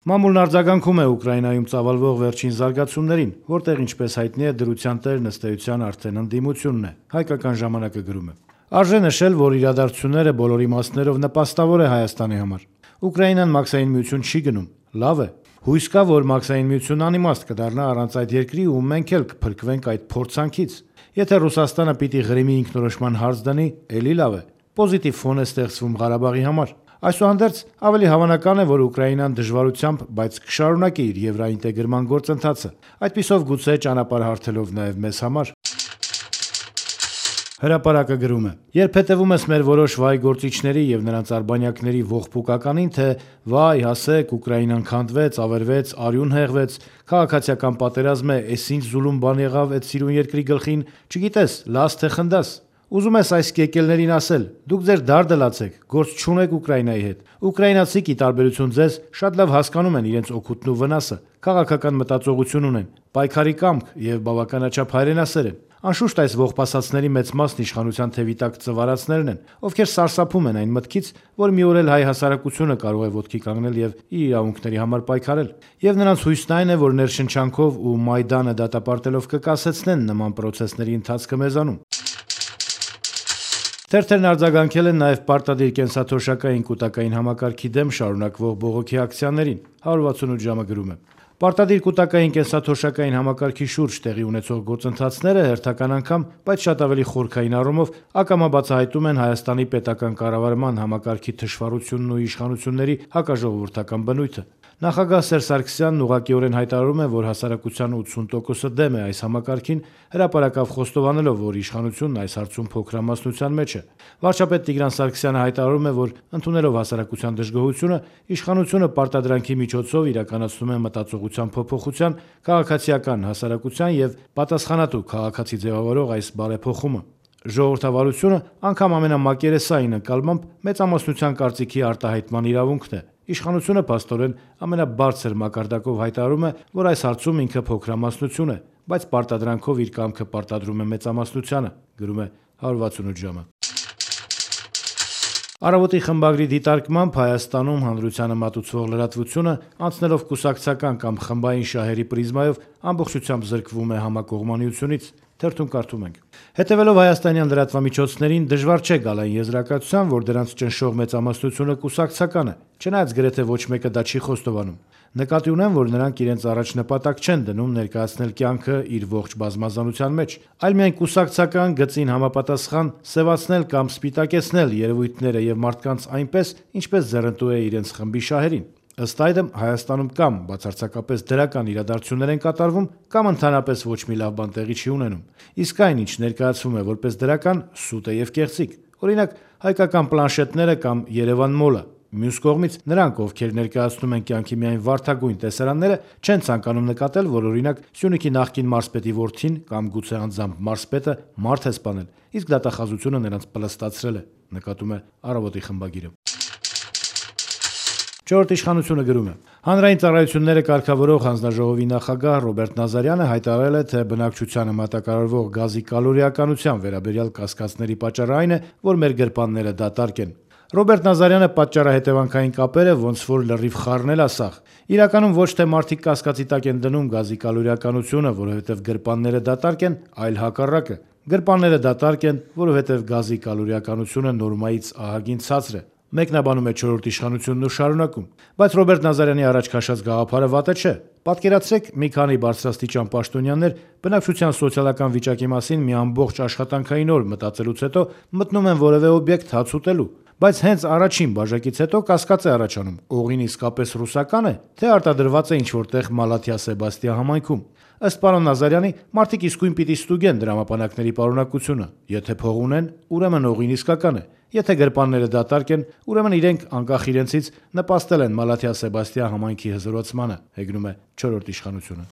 Մամուլն արձագանքում է Ուկրաինայում ծավալվող վերջին զարգացումներին, որտեղ, ինչպես հայտնի է, դրության տերն ըստ էության արդեն ընդդիմությունն է։ Հայկական ժամանակը գրում է. Արժե նշել, որ իրադարձությունները բոլոր իմաստներով նպաստավոր է Հայաստանի համար։ Ուկրաինան մաքսային միություն չի գնում, լավ է։ Հույս կա, որ մաքսային միությունն անիմաստ կդառնա առանց այդ երկրի ու մենք էլ կփրկվենք այդ փորձանքից։ Եթե Ռուսաստանը պիտի Ղրիմի ինքնորոշման հարց դնի, էլի լավ է։ Պոզիտիվ ֆոն է ստեղծվում Ղարաբաղի համար։ Այսուհանդերձ, ավելի հավանական է, որ Ուկրաինան դժվարությամբ, բայց կշարունակի իր եվրոինտեգրման գործընթացը, այդպիսով գուցե ճանապարհ հարթելով նաև մեզ համար։ Հրապարակը գրում է. Երբ հետևում ես մեր որոշ վայ գործիչների եւ նրանց արբանյակների ողբուկականին, թե վայ, հասեք, Ուկրաինան քանդվեց, ավերվեց, արյուն հեղվեց, քաղաքացիական պատերազմ է, էս ինչ զուլում բան եղավ այդ սիրուն երկրի գլխին, չգիտես, լաց թե խնդաս։ Ուզում ես այս կեկելներին ասել, դուք ձեր դարդը լացեք, գործ չունեք Ուկրաինայի հետ։ Ուկրաինացիք, ի տարբերություն ձեզ, շատ լավ հասկանում են իրենց օգուտն ու վնասը, քաղաքական մտածողություն ունեն, պայքարի կամք եւ բավականաչափ հայրենասեր են։ Անշուշտ այս ողբասացների մեծ մասն իշխանության թևի տակ ծվարածներն են, ովքեր սարսափում են այն մտքից, որ մի օր էլ հայ հասարակությունը կարող է ոտքի կանգնել եւ իր իրավունքների համար պայքարել։ Եվ նրանց հույսն այն է, որ ներշնչանքով ու Մայդանը դատապարտելով կկասեցնեն նման պրոցեսների ընթացքը մեզանում։ Թերթերն արձագանքել են նաև պարտադիր կենսաթոշակային կուտակային համակարգի դեմ շարունակվող բողոքի ակցիաներին։ 168 ժամը գրում է. Պարտադիր կուտակային կենսաթոշակային համակարգի շուրջ տեղի ունեցող գործընթացները հերթական անգամ, բայց շատ ավելի խորքային առումով ակամա բացահայտում են Հայաստանի պետական կառավարման համակարգի թշվառությունն ու իշխանությունների հակաժողովրդական բնույթը։ Նախագահ Սերժ Սարգսյանն ուղղակիորեն հայտարարում է, որ հասարակության 80%-ը դեմ է այս համակարգին, հրապարակավ խոստովանելով, որ իշխանությունն այս հարցում փոքրամասնության մեջ է։ Վարչապետ Տիգրան Սարգսյանը հայտարարում է, որ ընդունելով հասարակության դժգոհությունը, իշխանությունը պարտադրանքի միջոցով իրականացնում է մտածողության փոփոխության, քաղաքացիական հասարակության եւ պատասխանատու քաղաքացի ձևավորող այս բարեփոխումը։ Ժողովրդավարությունը անգամ ամենամակերեսային ընկալմամբ մեծամասնության կարծիքի արտահայտման իրավունքն է։ Իշխանությունը փաստորեն ամենաբարձր մակարդակով հայտարարում է, որ այս հարցում ինքը փոքրամասնություն է, բայց պարտադրանքով իր կամքը պարտադրում է մեծամասնությանը, գրում է 168 ժամը։ Առավոտի խմբագրի դիտարկմամբ Հայաստանում հանրությանը մատուցվող լրատվությունը անցնելով կուսակցական կամ խմբային շահերի պրիզմայով ամբողջությամբ զրկվում է համակողմանիությունից։ Թերթում կարդում ենք. Հետևելով հայաստանյան լրատվամիջոցներին դժվար չէ գալ այն եզրակացության, որ դրանց ճնշող մեծամասնությունը կուսակցական է, չնայած գրեթե ոչ մեկը դա չի խոստովանում։ Նկատի ունեմ, որ նրանք իրենց առաջ նպատակ չեն դնում ներկայացնել կյանքը իր ողջ բազմազանության մեջ, այլ միայն կուսակցական գծին համապատասխան սևացնել կամ սպիտակեցնել երևույթները եւ մարդկանց այնպես, ինչպես ձեռնտու է իրենց խմբի շահերին։ Ըստ այդմ Հայաստանում կամ բացարձակապես դրական իրադարձություններ են կատարվում, կամ ընդհանրապես ոչ մի լավ բան տեղի չի ունենում։ Իսկ այն, ինչ ներկայացվում է որպես դրական, սուտ է եւ կեղծիք։ Օրինակ, հայկական պլանշետները կամ Երևան մոլը։ Մյուս կողմից, նրանք, ովքեր ներկայացնում են կյանքի միայն վարդագույն տեսարանները, չեն ցանկանում նկատել, որ օրինակ Սյունիքի նախկին մարզպետի որդին կամ գուցե անձամբ մարզպետը մարդ է սպանել, իսկ դատախազությունը նրանց պլստացրել է, նկատում է Առավոտի խմբագիրը։ Չորրորդ իշխանությունը գրում է. Հանրային ծառայությունները կարգավորող հանձնաժողովի նախագահ Ռոբերտ Նազարյանը հայտարարել է, թե բնակչությանը մատակարարվող գազի կալորիականության վերաբերյալ կասկածների պատճառը այն է, որ մեր գրպանները դատարկ են։ Ռոբերտ Նազարյանը պատճառահետևանքային կապերը ոնց որ լրիվ խառնել ասախ։ Իրականում ոչ թե մարդիկ կասկածի տակ են դնում գազի կալորիականությունը, որովհետև գրպանները դատարկ են, այլ հակառակը։ Գրպանները դատարկ են, որովհետև գազի կալորիականությունը նորմայից ահագին ցածր է։ Մեկնաբանում է չորրորդ իշխանությունն ու շարունակում. Բայց Ռոբերտ Նազարյանի առաջ քաշած գաղափարը վատը չէ։ Պատկերացրեք, մի քանի բարձրաստիճան պաշտոնյաներ բնակչության սոցիալական վիճակի մասին մի ամբողջ աշխատանքային օր մտածելուց հետո մտնում են որևէ օբյեկտ հաց ուտելու։ Բայց հենց առաջին բաժակից հետո կասկած է առաջանում. օղին իսկապես ռուսական է, թե արտադրված է ինչ-որ տեղ Մալաթիա Սեբաստիա համայնքում։ Ըստ պարոն Նազարյանի, մարդիկ իսկույն պիտի ստուգեն դրամապանակների պարունակությունը։ Եթե փող ունեն, ուրեմն օղին իսկական է։ Եթե գրպանները դատարկ են, ուրեմն իրենք անկախ իրենցից նպաստել են Մալաթիա Սեբաստիա համայնքի հզորացմանը, հեգնում է չորրորդ իշխանությունը։